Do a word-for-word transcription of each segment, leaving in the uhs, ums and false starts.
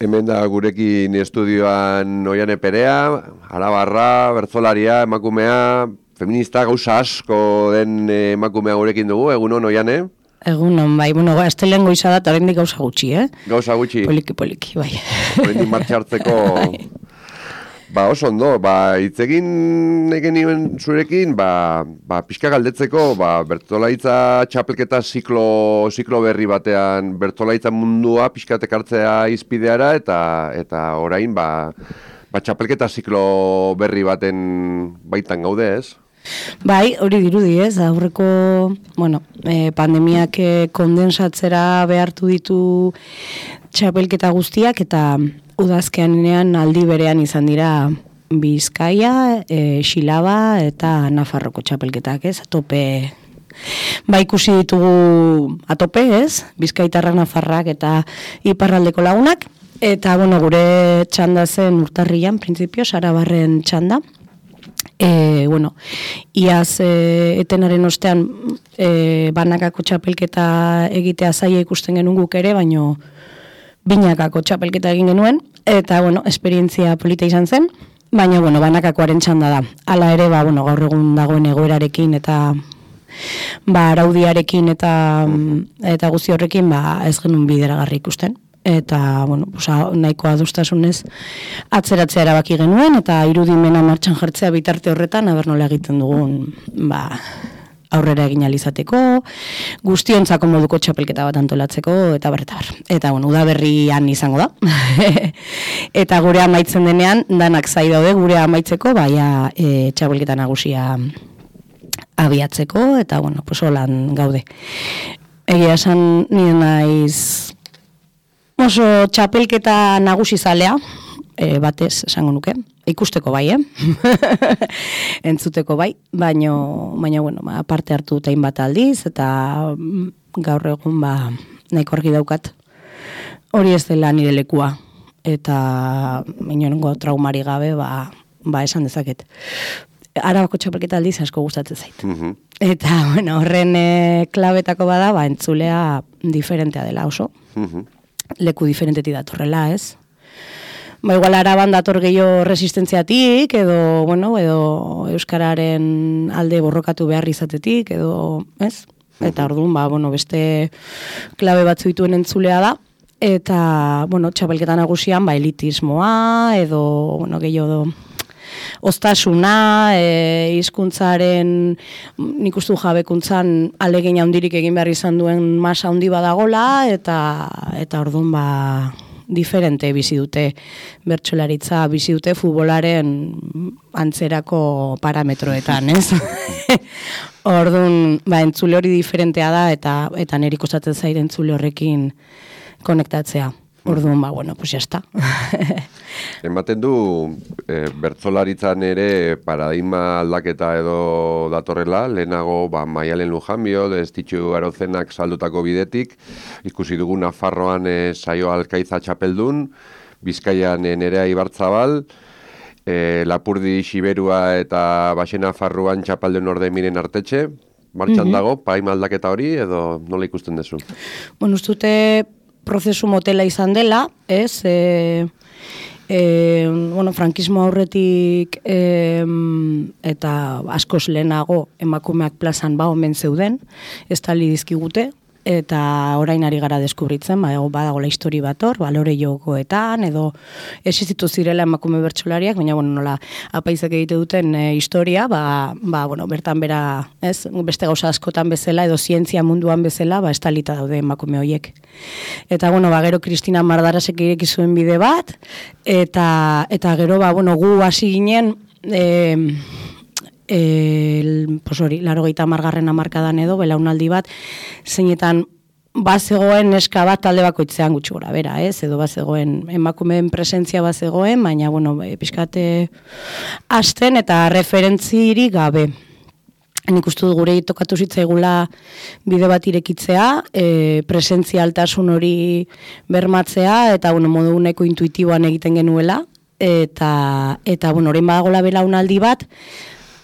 Hemen da gurekin estudioan Oiane Perea, arabarra, bertzolaria, emakumea, feminista, gauza asko den emakumea gurekin dugu, egunon Oiane? Egunon, bai, bueno, astelen goiza da, eta horrendik gauza gutxi, eh? Gauza gutxi? Poliki, poliki, bai. Horrendik martxartzeko... Ba, oso ondo, ba, itzegin egen nioen zurekin, ba, ba, pixka galdetzeko, ba, bertzolaitza txapelketa ziklo, ziklo berri batean, bertzolaitza mundua pixkatek hartzea izpideara, eta eta orain, ba, ba, txapelketa ziklo berri baten baitan gaude, ez? Bai, hori dirudi, ez, aurreko, bueno, eh, pandemiak eh, kondensatzera behartu ditu txapelketa guztiak, eta udazkeanean aldi berean izan dira Bizkaia, e, Xilaba eta Nafarroko txapelketak, ez? Atope, ba ikusi ditugu atope, ez? Bizkaitarrak, Nafarrak eta iparraldeko lagunak. Eta, bueno, gure txanda zen urtarrian, printzipio, Sarabarren txanda. E, bueno, iaz e, etenaren ostean e, banakako txapelketa egitea zaila ikusten genuen guk ere, baino binakako txapelketa egin genuen, eta, bueno, esperientzia polita izan zen, baina, bueno, banakakoaren txanda da. Hala ere, ba, bueno, gaur egun dagoen egoerarekin eta ba, araudiarekin eta eta guzti horrekin, ba, ez genuen bideragarri ikusten. Eta, bueno, oza, nahiko adostasunez atzeratzea erabaki genuen, eta irudimena martxan jartzea bitarte horretan, aber nola egiten dugun, ba, aurrera egin alizateko, guztiontzako moduko txapelketa bat antolatzeko, eta bar, eta bar. Eta, bueno, udaberrian izango da. Eta gure amaitzen denean, danak zai daude gure amaitzeko, baina e, txapelketa nagusia abiatzeko, eta, bueno, pues holan gaude. Egia esan nire naiz oso txapelketa nagusi zalea, e, batez esango nuke, ikusteko bai, eh? Entzuteko bai, baino, baina, bueno, ba, parte hartu tein bat aldiz, eta gaur egun, ba, nahiko argi daukat, hori ez dela nire lekua, eta inongo traumari gabe, ba, ba esan dezaket. Arabako txapelketa aldiz asko gustatzen zait. Mm-hmm. Eta, bueno, horren e, klabetako bada, ba, entzulea diferentea dela oso. Mm-hmm. Leku diferentetik datorrela, ez? Ba, igual araban dator gehiago resistentziatik, edo, bueno, edo euskararen alde borrokatu behar izatetik, edo, ez? Eta orduan, ba, bueno, beste klabe batzu dituen entzulea da, eta, bueno, txapelketa nagusian, ba, elitismoa, edo, bueno, gehiago oztasuna, e, hizkuntzaren nik uste jabekuntzan alegin handirik egin behar izan duen masa handi badagola, eta, eta orduan, ba, diferente bizi dute bertsolaritza, bizi dute futbolaren antzerako parametroetan, ez? Orduan, ba, entzule hori diferentea da, eta eta niri kostatzen zait entzule horrekin konektatzea. Orduan, ba, bueno, pues ya está. Ematen du, e, bertsolaritzan ere paradigma aldaketa edo datorrela, lehenago ba, Maialen Lujanbio, Destitxu Arozenak saldutako bidetik, ikusi dugu Nafarroan e, Saio Alkaiza txapeldun, Bizkaian e, Nerea Ibarzabal, e, Lapurdi Xiberua eta Baxena Farruan txapelden orde miren artetxe, martxan mm-hmm. dago, paradigma aldaketa hori edo nola ikusten duzu? Bueno, ustute prozesu motela izan dela, ez, e, e, bueno, frankismo aurretik e, eta askoz lehenago emakumeak plazan ba omen zeuden, ez tali dizkigute, eta orain ari gara deskubritzen, ba, badagola histori bat hor, balore jokoetan, edo existitu zirela emakume bertsolariak, baina, bueno, nola, apaizak egite duten e, historia, ba, ba, bueno, bertan bera, ez, beste gauza askotan bezala, edo zientzia munduan bezala, ba, estalita daude emakume horiek. Eta, bueno, ba, gero Kristina Mardarasek ireki zuen bide bat, eta, eta gero, ba, bueno, gu hasi ginen, e, el, pues hori, laro gehieta margarren amarkadan edo, belaunaldi bat, zeinetan bazegoen neska bat talde bakoitzean gutxi gora, bera, ez? Edo bazegoen emakumeen presentzia bazegoen, baina, bueno, pixkate hasten eta referentziri gabe. Nik uste dut gure tokatu zitzaigula bide bat irekitzea, e, presentzia altasun hori bermatzea, eta, bueno, modu nahiko intuitiboan egiten genuela, eta, eta bueno, orain badagola belaunaldi bat,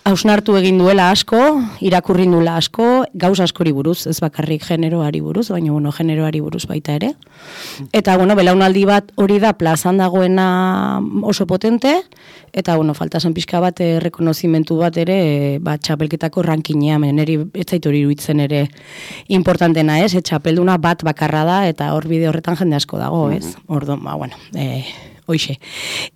hausnartu egin duela asko, irakurri duela asko, gauz askori buruz, ez bakarrik generoari buruz, baina bueno, generoari buruz baita ere. Eta bueno, belaunaldi bat hori da plazan dagoena oso potente, eta bueno, falta zen pixka bat errekonozimentu bat ere, ba, txapelketako rankinea, meneri ez zaitu hori iruditzen ere importantena, ez? E, txapelduna bat bakarra da, eta hor bide horretan jende asko dago, ez? Orduan, ba, bueno, e, hoixe.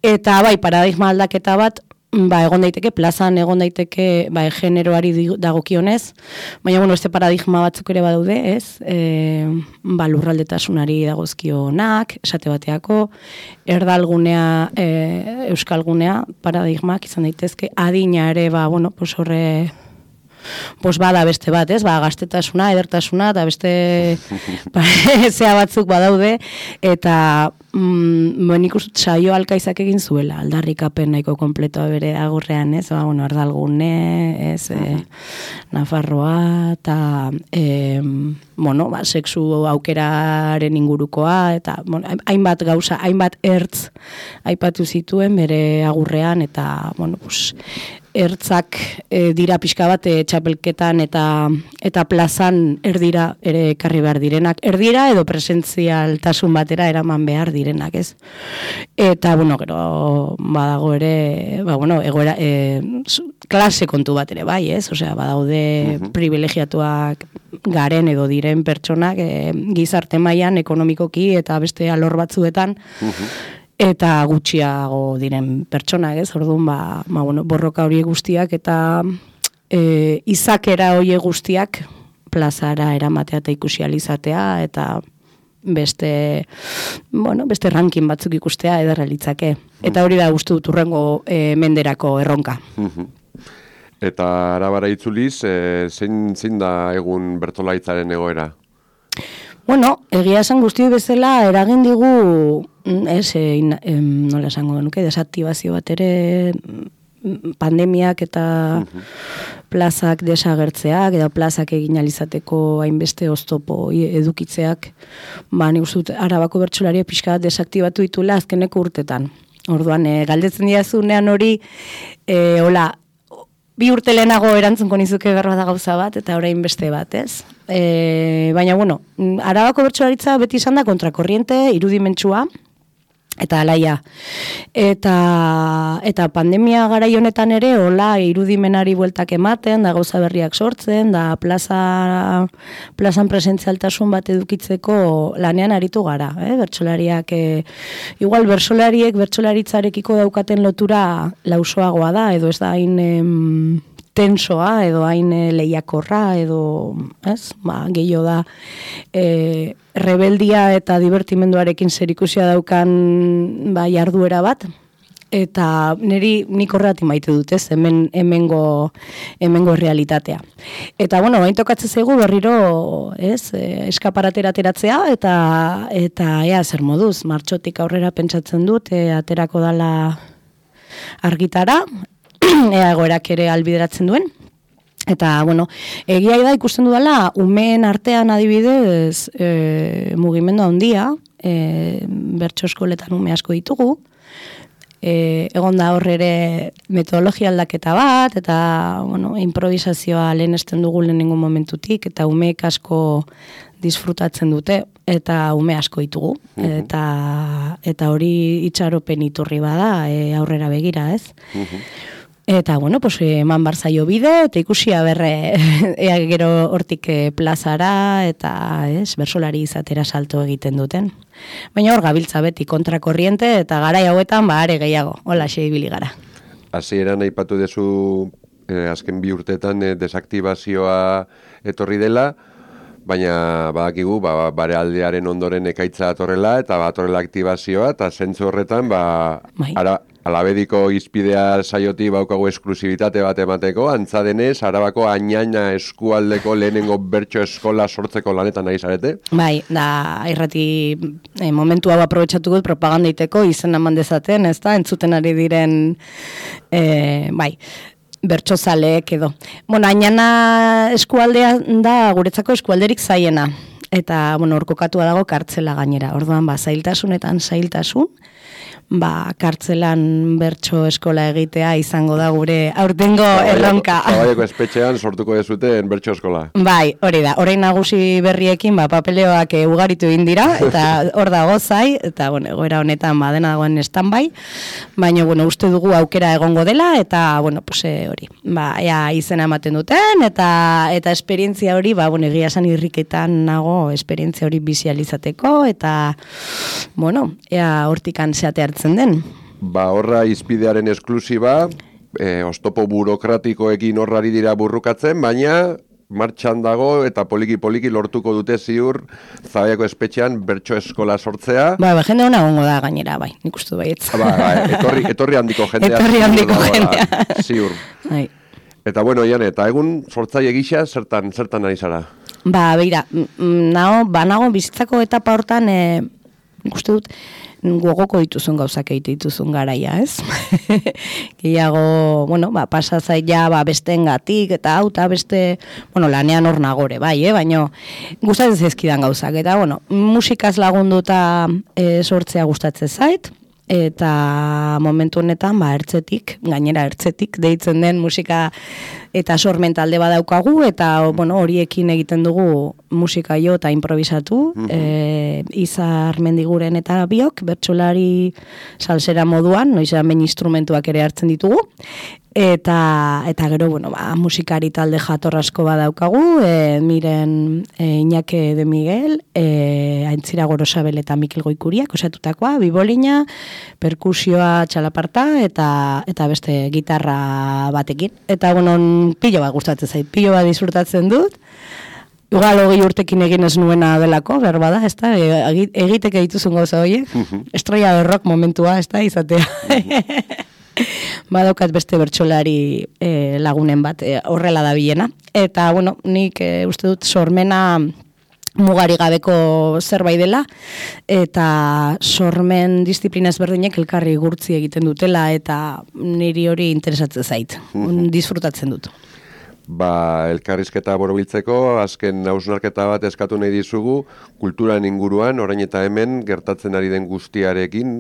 Eta bai, paradigma aldaketa bat, ba, egon daiteke, plazan egon daiteke, ba, generoari dagokionez, baina, bueno, este paradigma batzuk ere badaude, ez? E, ba, lurraldetasunari dagozkionak, esate bateako, erdalgunea, e, euskalgunea, paradigmak izan daitezke, adina ere, ba, bueno, pues horre, pues bada beste bat, ez? Ba, gaztetasuna, edertasuna, eta beste zea batzuk badaude, eta mm, ben ikustut saio alkaizak egin zuela, aldarrikapen nahiko kompletoa bere agurrean, ez? Ba, bueno, ardalgune, ez? E, Nafarroa, eta e, bueno, ba, sexu aukeraren ingurukoa, eta bueno, hainbat gauza, hainbat ertz aipatu zituen bere agurrean, eta, bueno, pues, ertzak e, dira pixka bat e, txapelketan eta eta plazan erdira ere ekarri behar direnak. Erdira edo presentzialtasun batera eraman behar direnak, ez? Eta, bueno, gero badago ere, ba, bueno, egoera, e, klase kontu bat ere, bai, ez? Osea, badaude uh-huh. privilegiatuak garen edo diren pertsonak e, gizarte mailan ekonomikoki eta beste alor batzuetan, uh-huh. eta gutxiago diren pertsonak, ez? Orduan, ba, ba, bueno, borroka horiek guztiak eta e, izakera horiek guztiak plazara eramatea eta ikusializatea eta beste, bueno, beste ranking batzuk ikustea ederra litzake. Eta hori da gustu dut hurrengo e, menderako erronka. Eta arabara itzuliz, e, zein, zein da egun bertsolaritzaren egoera? Bueno, egia esan guzti bezala eragin digu, ez, e, em, nola esango nuke, desaktibazio bat ere pandemiak eta uh-huh. plazak desagertzeak, edo plazak egin alizateko hainbeste oztopo edukitzeak, ba, nik uste dut Arabako bertsolariak pixka desaktibatu ditula azkeneko urtetan. Orduan, e, galdetzen diazunean hori, e, hola, bi urte lehenago erantzunko nizuke berba da gauza bat, eta orain beste bat, ez? E, baina, bueno, Arabako bertsolaritza beti izan da kontrakorriente, irudimentsua, eta alaia. Eta, eta pandemia garai honetan ere, hola, irudimenari bueltak ematen, da gauza berriak sortzen, da plaza, plazan presentzialtasun bat edukitzeko lanean aritu gara, eh? Bertsolariak, eh, igual bertsolariek bertsolaritzarekiko daukaten lotura lausoagoa da, edo ez da hain em, tensoa, edo hain e, lehiakorra, edo, ez, ba, gehiago da, e, rebeldia eta divertimenduarekin zerikusia daukan ba, jarduera bat, eta niri nik horretik maite dut, ez, hemen, hemengo, hemengo realitatea. Eta, bueno, bain tokatzen zaigu berriro, ez, e, eskaparatera ateratzea, eta, eta ea zer moduz, martxotik aurrera pentsatzen dut, e, aterako dala argitara, ea egoerak ere albideratzen duen. Eta, bueno, egia da ikusten dudala, umeen artean adibidez e, mugimendu handia, e, bertso eskoletan ume asko ditugu, e, egon da hor ere metodologia aldaketa bat, eta, bueno, improvisazioa lehenesten dugu lehenengo momentutik, eta umeek asko disfrutatzen dute, eta ume asko ditugu, uh-huh. eta, eta hori itxaropen iturri bada e, aurrera begira, ez? Uh-huh. Eta, bueno, pues, eman barzaio bide, eta ikusia berre, ea gero hortik plazara, eta, ez, bersolari izatera salto egiten duten. Baina hor gabiltza beti kontrakorriente, eta garai hauetan, ba, are gehiago, hola xe ibili gara. Hasieran aipatu dezu, eh, azken bi urtetan eh, desaktibazioa etorri dela, baina badakigu, ba, bare aldearen ondoren ekaitza atorrela, eta batorrela aktibazioa, eta zentzu horretan, ba, ara, alabediko izpidea saioti baukagu esklusibitate bat emateko, antza denez, Arabako Añaina eskualdeko lehenengo bertso eskola sortzeko lanetan nahi zarete? Bai, da, irrati eh, momentu hau aprobetxatu gut propagandaiteko, izen eman dezaten, ez da, entzuten ari diren, eh, bai, bertsozaleek edo. Bueno, Añana eskualdea da guretzako eskualderik zaiena. eta, bueno, hor kokatua dago kartzela gainera. Orduan, ba, zailtasunetan zailtasun, ba, kartzelan bertso eskola egitea izango da gure aurtengo erronka. Zabaiako espetxean sortuko dezuten bertso eskola. Bai, hori da. Orain nagusi berriekin, ba, papeleoak e, ugaritu egin dira, eta hor dago zai, eta, bueno, egoera honetan, ba, dena dagoen standby, baina, bueno, uste dugu aukera egongo dela, eta, bueno, pues, e, hori, ba, ea izena ematen duten, eta eta esperientzia hori, ba, bueno, egia esan irriketan nago, esperientzia hori bizializateko, eta, bueno, ea hortikan zeate hartzen den. Ba, horra izpidearen esklusiba, e, oztopo burokratikoekin horrari dira burrukatzen, baina martxan dago eta poliki-poliki lortuko dute ziur Zabaiako espetxean bertso eskola sortzea. Ba, ba jende hona gongo da gainera, bai, nik uste baietz. Ba, ba, etorri, etorri handiko jendea. Etorri handiko jendea. Ziur. Bai. Eta bueno, Iane, eta egun sortzaile gisa zertan, zertan ari zara? Ba, beira, nago, ba, nago bizitzako etapa hortan, e, nik uste dut, gogoko dituzun gauzak egite dituzun garaia, ez? Gehiago, bueno, ba, pasazai ja, ba, besteengatik eta hau, eta beste, bueno, lanean hor nagore, bai, eh? Baina gustatzen zaizkidan gauzak, eta, bueno, musikaz lagunduta e, sortzea gustatzen zait, eta momentu honetan, ba, ertzetik, gainera ertzetik, deitzen den musika eta sormen talde badaukagu, eta, bueno, horiekin egiten dugu musika jo eta improvisatu, mm-hmm. e, Izar Mendiguren eta biok, bertsolari salsera moduan, noizean behin instrumentuak ere hartzen ditugu, eta eta gero, bueno, ba, musikari talde jatorrasko badaukagu, e, miren e, Iñake de Miguel, e, Aintzira Gorosabel eta Mikel Goikuriak osatutakoa, bibolina, perkusioa, txalaparta, eta eta beste gitarra batekin. Eta, bueno, pilo bat gustatzen zait, pilo bat disfrutatzen dut, igual hogei urtekin egin ez nuena delako, berba da, ez da, egiteke dituzun gauza horiek, estrella de rock momentua, ez da, izatea. Badaukat beste bertsolari e, lagunen bat e, horrela da bilena. Eta, bueno, nik e, uste dut sormena mugari gabeko zerbait dela, eta sormen disiplina ezberdinek elkarri gurtzi egiten dutela, eta niri hori interesatzen zait, disfrutatzen dut. Ba, elkarrizketa borobiltzeko, azken hausnarketa bat eskatu nahi dizugu, kulturan inguruan, orain eta hemen, gertatzen ari den guztiarekin.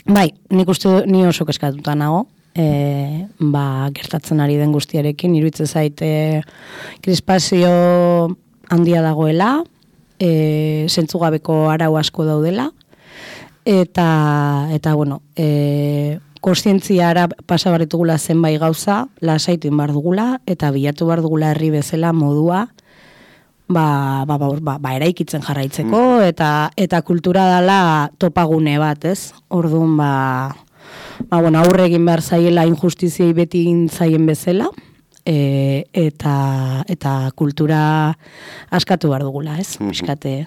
Bai, nik uste ni oso eskatuta nago, e, ba, gertatzen ari den guztiarekin, iruditzen zaite krispazio handia dagoela, e, zentzugabeko arau asko daudela, eta, eta bueno, e, kontzientziara pasa barritugula zenbait gauza, lasaitu behar dugula, eta bilatu behar dugula herri bezala modua, ba, ba, ba, ba, ba eraikitzen jarraitzeko, mm. eta, eta kultura dela topagune bat, ez? Orduan, ba, ba, bueno, aurre egin behar zaiela injustiziei beti egin zaien bezala, e, eta, eta kultura askatu behar dugula, ez? Piskate.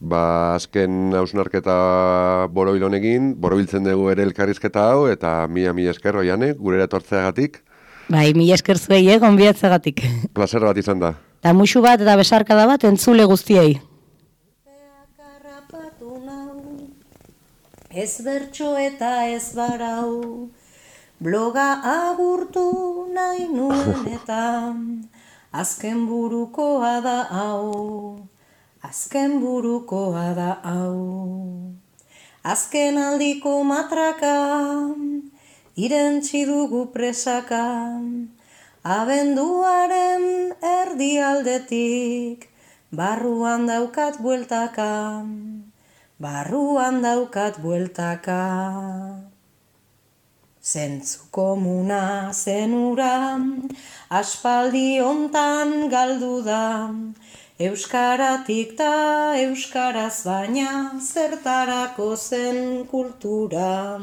Ba, azken hausnarketa borobil honekin, borobiltzen dugu ere elkarrizketa hau, eta mila mila esker, Oiane, gurera etortzeagatik. Bai, mila esker zuei, eh, gonbidatzeagatik. Plazer bat izan da. Eta musu bat eta besarkada bat entzule guztiei. Ez bertso eta ez barau, bloga agurtu nahi nuen eta azken burukoa da hau. Azken burukoa da hau, azken aldiko matraka, irentzi dugu presaka, abenduaren erdialdetik, barruan daukat bueltaka, barruan daukat bueltaka. Zentzu komuna zenura, aspaldi hontan galdu da, euskaratik ta euskaraz baina zertarako zen kultura.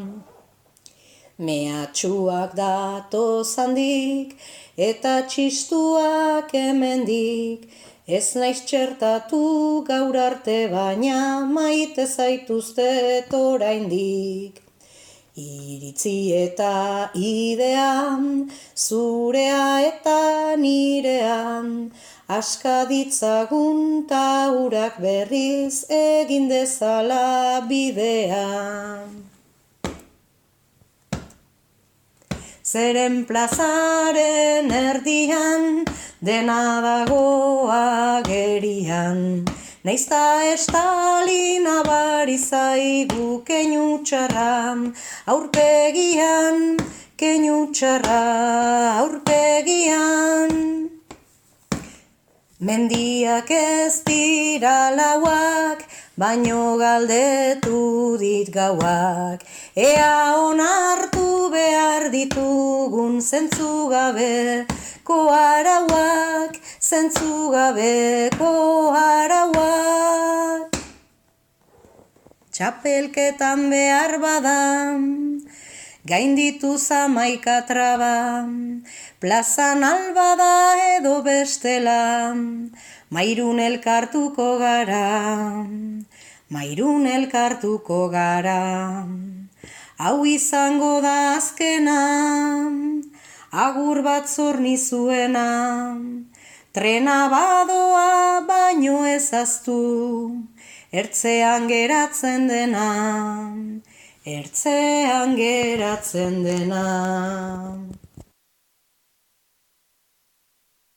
Mehatxuak datoz handik eta txistuak hemendik, ez naiz txertatu gaur arte baina maite zaituztet oraindik. Iritzi eta idean, zurea eta nirean, aska ditzagun ta urak berriz egin dezala bidean. Zeren plazaren erdian, dena dago agerian. Neizta estalina bari zaigu keinu txarra, aurpegian, keinu txarra aurpegian. Mendiak ez dira lauak, baino galdetu dit gauak. Ea onartu behar ditugun zentzugabeko arauak, zentzugabeko arauak. Txapelketan behar badan, gainditu zamaika traba, plazan albada edo bestela, mairun elkartuko gara, mairun elkartuko gara. Hau izango da azkena, agur bat zornizuena, trena badoa baino ezaztu, ertzean geratzen dena, ertzean geratzen dena.